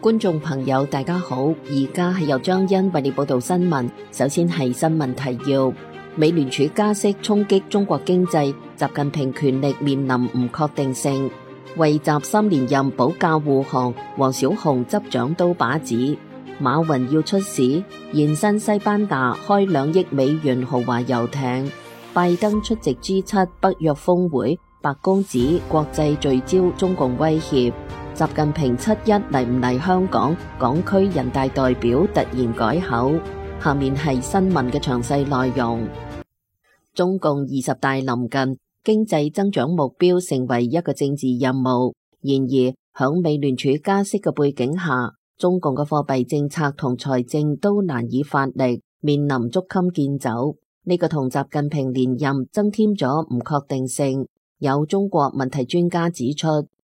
觀眾朋友大家好，而家係由張欣為你報道新聞。首先係新聞提要：美聯儲加息衝擊中國經濟，習近平權力面臨唔確定性。為習3連任保駕護航，王小洪執掌刀把子。馬雲要出使，現身西班牙開2億美元豪華遊艇。拜登出席 G7 北約峰會，白宮指國際聚焦中共威脅。習近平7·1嚟唔嚟香港？港區人大代表突然改口。下面係新聞嘅詳細內容。中共20大臨近，經濟增長目標成為一個政治任務。然而，響美聯儲加息嘅背景下，中共嘅貨幣政策同財政都難以發力，面臨捉襟見肘。呢個同習近平連任增添咗唔確定性。有中國問題專家指出，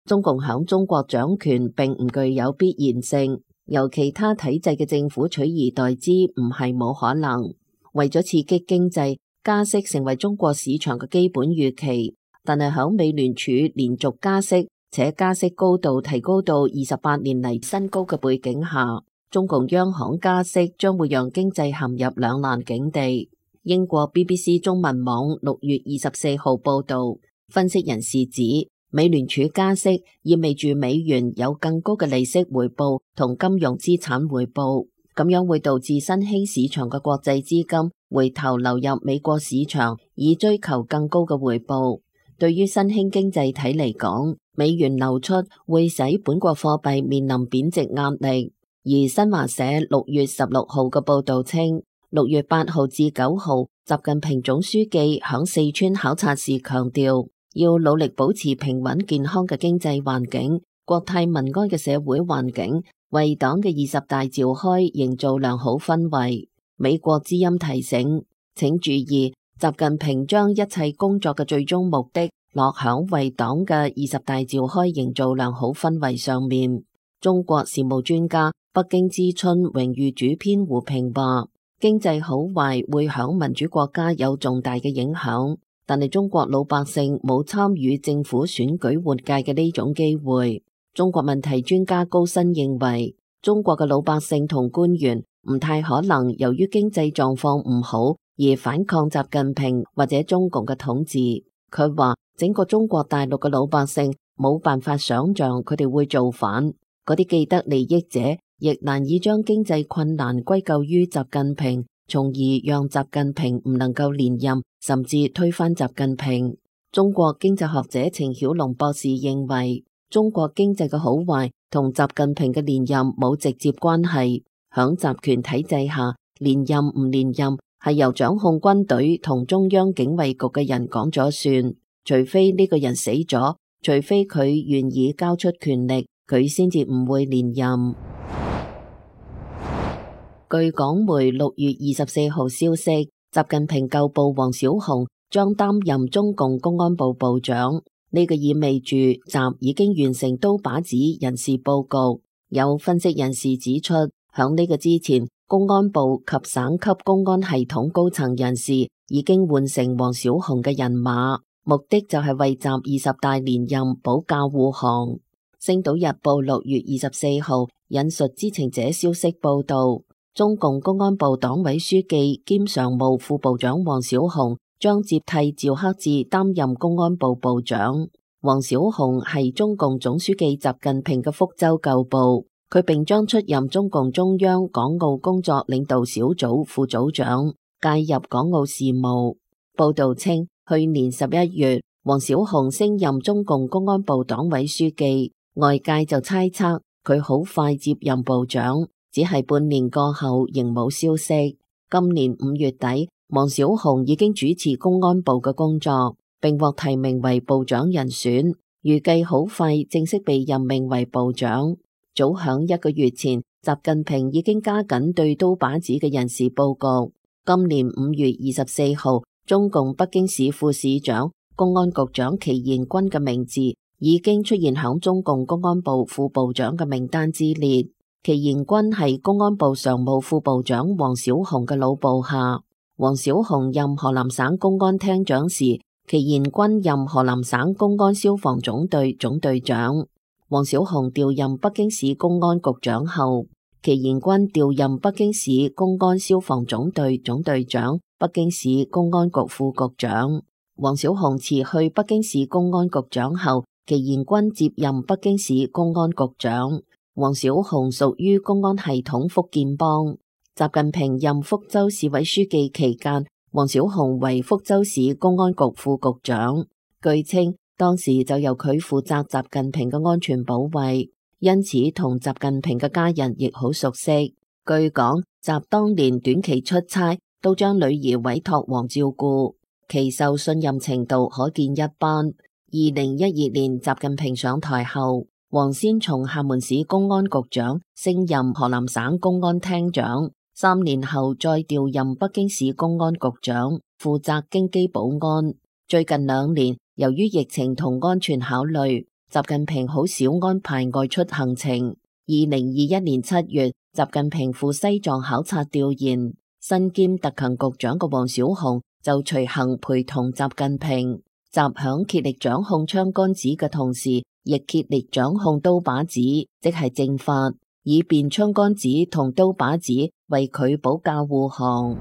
中共響中國掌權並唔具有必然性，由其他體制嘅政府取而代之唔係冇可能。為咗刺激經濟，加息成為中國市場嘅基本預期。但係響美聯儲連續加息，且加息高度提高到28年嚟新高嘅背景下，中共央行加息將會讓經濟陷入兩難境地。英國 BBC 中文網6月24號報道，分析人士指，美聯儲加息意味住美元有更高嘅利息回報同金融資產回報，咁樣會導致新興市場嘅國際資金回頭流入美國市場，以追求更高嘅回報。對於新興經濟體嚟講，美元流出會使本國貨幣面臨貶值壓力。而新華社6月16號嘅報道稱，6月8號至9號，習近平總書記響四川考察時強調，要努力保持平穩健康嘅經濟環境、國泰民安嘅社會環境，為黨嘅20大召開營造良好氛圍。美國之音提醒，請注意，習近平將一切工作嘅最終目的落響為黨嘅20大召開營造良好氛圍上面。中國事務專家、北京之春榮譽主編胡平話，經濟好壞會響民主國家有重大嘅影響。但係中國老百姓冇參與政府選舉換屆嘅呢種機會。中國問題專家高新認為，中國嘅老百姓同官員唔太可能由於經濟狀況唔好而反抗習近平或者中共嘅統治。佢話整個中國大陸嘅老百姓冇辦法想象佢哋會造反，嗰啲既得利益者亦難以將經濟困難歸咎於習近平，從而讓習近平唔能夠連任，甚至推翻習近平。中國經濟學者程曉龍博士認為，中國經濟嘅好壞同習近平嘅連任冇直接關係。響集權體制下，連任唔連任係由掌控軍隊同中央警衛局嘅人講咗算，除非呢個人死咗，除非佢願意交出權力，佢先至唔會連任。據港媒6月24號消息，習近平舊部王小洪將擔任中共公安部部長，呢個意味住習已經完成刀把子人事佈局。有分析人士指出，響呢個之前，公安部及省級公安系統高層人士已經換成王小洪嘅人馬，目的就係為習20大連任保駕護航。星島日報6月24號引述知情者消息報道，中共公安部黨委書記兼常務副部長王小洪將接替趙克志擔任公安部部長。王小洪係中共總書記習近平嘅福州舊部，佢並將出任中共中央港澳工作領導小組副組長，介入港澳事務。報道稱，去年11月，王小洪升任中共公安部黨委書記，外界就猜測佢好快接任部長。只係半年過後仍冇消息。今年5月底，王小洪已經主持公安部嘅工作，並獲提名為部長人選，預計好快正式被任命為部長。早響1個月前，習近平已經加緊對刀把子嘅人事佈局。今年5月24號，中共北京市副市長、公安局長祁延軍嘅名字已經出現響中共公安部副部長嘅名單之列。祁延軍係公安部常務副部長王小洪嘅老部下。王小洪任河南省公安廳長時，祁延軍任河南省公安消防總隊總隊長。王小洪調任北京市公安局長後，祁延軍調任北京市公安消防總隊總隊長、北京市公安局副局長。王小洪辭去北京市公安局長後，祁延軍接任北京市公安局長。王小洪屬於公安系統福建幫。習近平任福州市委書記期間，王小洪為福州市公安局副局長。據稱，當時就由佢負責習近平嘅安全保衛，因此同習近平嘅家人亦好熟悉。據講，習當年短期出差都將女兒委託王照顧，其受信任程度可見一斑。2012年習近平上台後，王先從廈門市公安局長升任河南省公安廳長，3年後再調任北京市公安局長，負責京畿保安。最近2年，由於疫情同安全考慮，習近平好少安排外出行程。2021年7月，習近平赴西藏考察調研，身兼特勤局長嘅王小洪就隨行陪同習近平。習響竭力掌控槍桿子嘅同時，亦竭力掌控刀把子，即係正法，以便槍桿子同刀把子為佢保駕護航。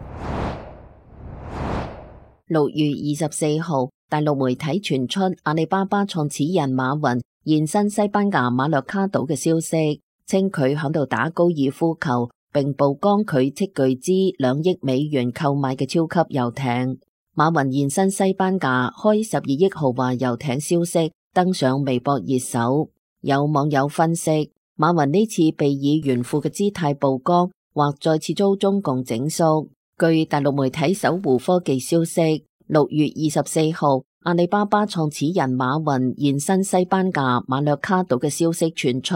6月24號，大陸媒體傳出阿里巴巴創始人馬雲現身西班牙馬略卡島嘅消息，稱佢響度打高爾夫球，並曝光佢斥巨資2億美元購買嘅超級遊艇。馬雲現身西班牙開12億豪華遊艇消息登上微博熱搜，有網友分析，馬雲呢次被以炫富嘅姿態曝光，或再次遭中共整肅。據大陸媒體搜狐科技消息，6月24號，阿里巴巴創始人馬雲現身西班牙馬略卡島嘅消息傳出，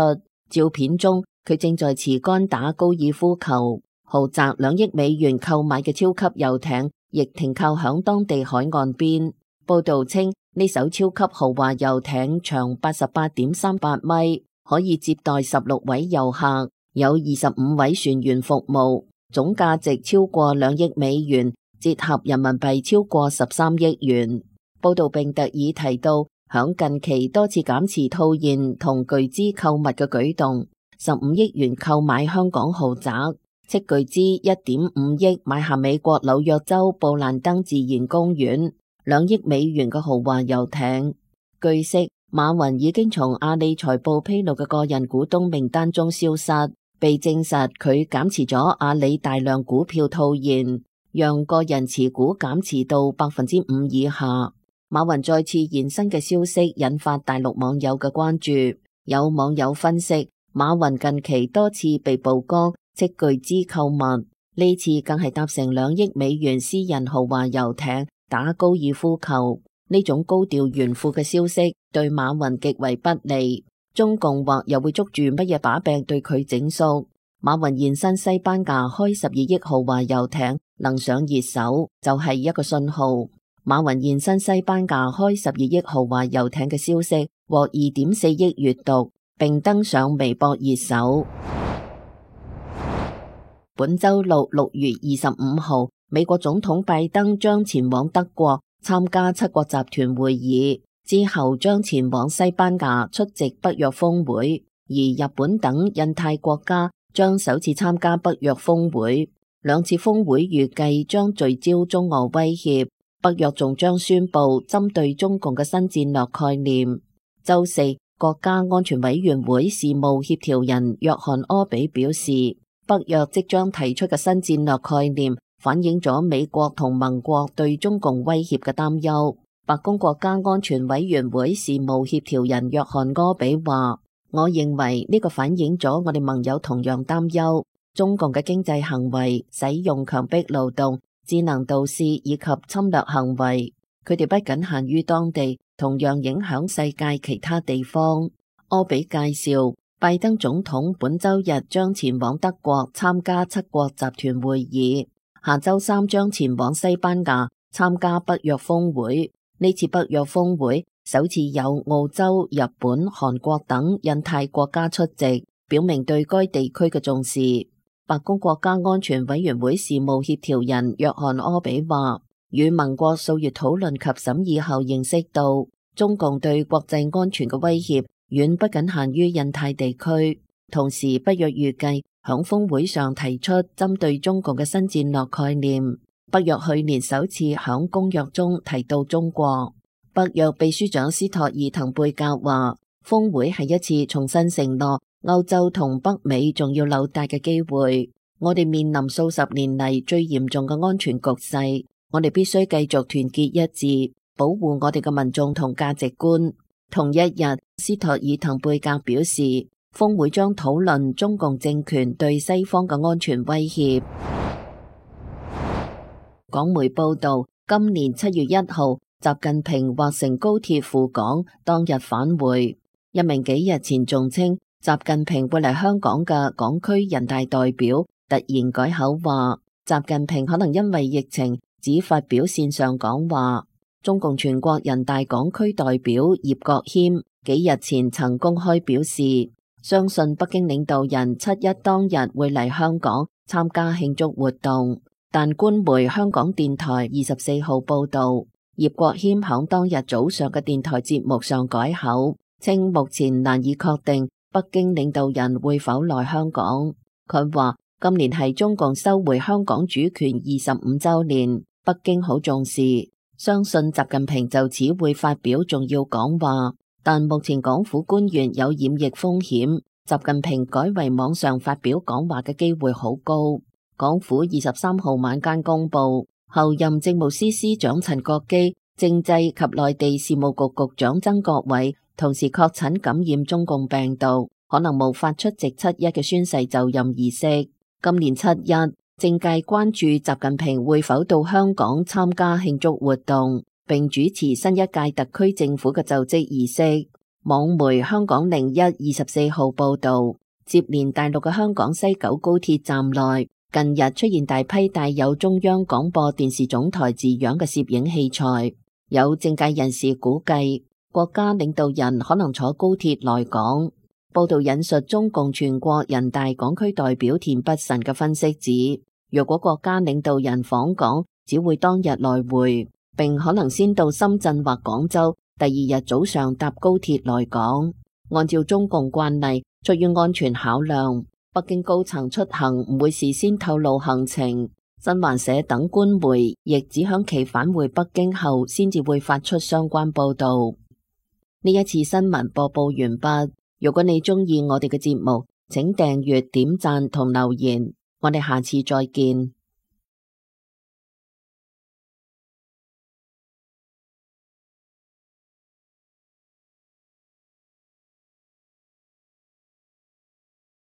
照片中佢正在持桿打高爾夫球，豪宅2億美元購買嘅超級遊艇亦停靠響當地海岸邊。報道稱，呢艘超級豪華遊艇長88.38米，可以接待16位遊客，有25位船員服務，總價值超過2億美元，折合人民幣超過13億元。報道並特意提到，響近期多次減持套現同巨資購物嘅舉動，15億元購買香港豪宅，斥巨資1.5億買下美國紐約州布蘭登自然公園，2億美元嘅豪華遊艇。據悉，馬雲已經從阿里財報披露嘅個人股東名單中消失，被證實佢減持咗阿里大量股票套現，讓個人持股減持到5%以下。馬雲再次現身嘅消息引發大陸網友嘅關注，有網友分析，馬雲近期多次被曝光斥巨資購物，呢次更係搭乘2億美元私人豪華遊艇打高爾夫球，呢種高調炫富嘅消息對馬雲極為不利。中共或又會捉住乜嘢把柄對佢整肅？馬雲現身西班牙開12億豪華遊艇能上熱搜，就係一個信號。馬雲現身西班牙開12億豪華遊艇嘅消息獲2.4億閱讀，並登上微博熱搜。本周六6月25號，美國總統拜登將前往德國參加七國集團會議，之後將前往西班牙出席北約峰會，而日本等印太國家將首次參加北約峰會。兩次峰會預計將聚焦中俄威脅。北約仲將宣布針對中共嘅新戰略概念。周四，國家安全委員會事務協調人約翰柯比表示，北約即將提出嘅新戰略概念反映咗美國同盟國對中共威脅嘅擔憂。白宮國家安全委員會事務協調人約翰柯比話，我認為呢個反映咗我哋盟友同樣擔憂中共嘅經濟行為，使用強迫勞動、智能導視以及侵略行為，佢哋不僅限於當地，同樣影響世界其他地方。柯比介紹，拜登總統本周日將前往德國參加七國集團會議，下周三將前往西班牙參加北約峰會。呢次北約峰會首次有澳洲、日本、韓國等印太國家出席，表明對該地區嘅重視。白宮國家安全委員會事務協調人約翰柯比話，與盟國數月討論及審議後認識到，中共對國際安全嘅威脅遠不僅限於印太地區。同時，北約預計響峰會上提出針對中共嘅新戰略概念。北約去年首次響公約中提到中國。北約秘書長斯托爾滕貝格話，峰會係一次重新承諾歐洲同北美重要紐帶嘅機會。我哋面臨數十年嚟最嚴重嘅安全局勢，我哋必須繼續團結一致，保護我哋嘅民眾同價值觀。同一日，斯托爾滕貝格表示，峰會將討論中共政權對西方嘅安全威脅。港媒報道，今年7月1號，習近平劃乘高鐵赴港，當日返回。一名幾日前仲稱習近平會嚟香港嘅港區人大代表，突然改口話，習近平可能因為疫情只發表線上講話。中共全國人大港區代表葉國謙幾日前曾公開表示，相信北京領導人7·1當日會嚟香港參加慶祝活動，但官媒香港電台24號報道，葉國謙響當日早上嘅電台節目上改口，稱目前難以確定北京領導人會否來香港。佢話今年係中共收回香港主權25週年，北京好重視，相信習近平就此會發表重要講話。但目前港府官員有染疫風險，習近平改為網上發表講話嘅機會好高。港府23號晚間公布，候任政務司司長陳國基、政制及內地事務局局長曾國衛同時確診感染中共病毒，可能無法出席7·1嘅宣誓就任儀式。今年7·1，政界關注習近平會否到香港參加慶祝活動，並主持新一屆特區政府嘅就職儀式。網媒香港01 24號報道，接連大陸嘅香港西九高鐵站內，近日出現大批帶有中央廣播電視總台字樣嘅攝影器材。有政界人士估計，國家領導人可能坐高鐵來港。報道引述中共全國人大港區代表田北辰嘅分析指，若果國家領導人訪港，只會當日來回，並可能先到深圳或廣州，第二日早上搭高鐵來港。按照中共慣例，出於安全考量，北京高層出行唔會事先透露行程。新華社等官媒亦只響其返回北京後，先至會發出相關報道。呢一次新聞播報完畢。如果你鍾意我哋嘅節目，請訂閱、點讚同留言。我哋下次再見。